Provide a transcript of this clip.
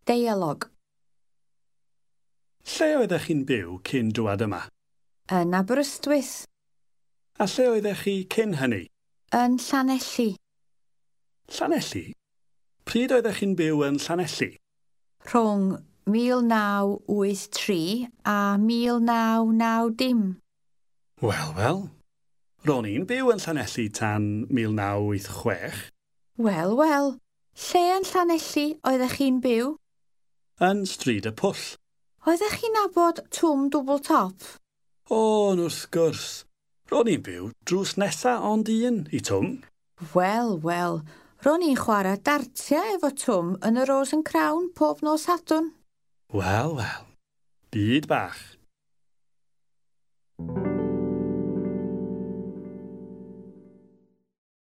Deialog. Lle oeddech chi'n byw cyn dŵad yma? Yn Aberystwyth. A lle oeddech chi cyn hynny? Yn Llanelli. Llanelli? Pryd oeddech chi'n byw yn Llanelli? Rhwng 1983 a 1990. Wel, wel. Ro'n i'n byw yn Llanelli tan 1986. Wel, wel. Lle yn Llanelli oeddech chi'n byw? Yn Stryd y Pwll. Oeddech chi'n nabod Twm Dwbl Top? O, yn wrth gwrs. Ro'n i'n byw drws nesa ond un i Twm. Wel, wel. Ro'n i'n chwarae dartiau efo Twm yn y Rose and Crown pob nos Sadwrn. Wel, wel. Byd bach.